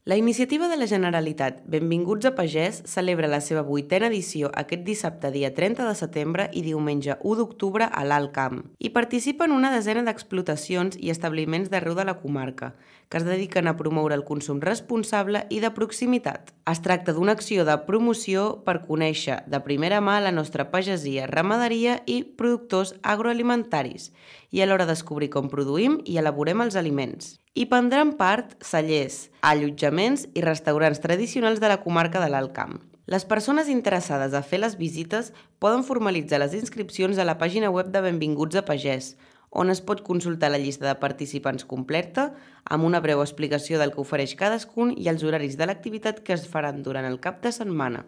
La iniciativa de la Generalitat Benvinguts a Pagès celebra la seva 8a edició aquest dissabte dia 30 de setembre i diumenge 1 d'octubre a l'Alt Camp. Hi participen una desena d'explotacions i establiments d'arreu de la comarca, que es dediquen a promoure el consum responsable i de proximitat. Es tracta d'una acció de promoció per conèixer de primera mà la nostra pagesia, ramaderia i productors agroalimentaris i alhora descobrir com produïm i elaborem els aliments. Hi prendran part cellers, allotjaments i restaurants tradicionals de la comarca de l'Alt Camp. Les persones interessades a fer les visites poden formalitzar les inscripcions a la pàgina web de Benvinguts a Pagès, on es pot consultar la llista de participants completa, amb una breu explicació del que ofereix cadascun i els horaris de l'activitat que es faran durant el cap de setmana.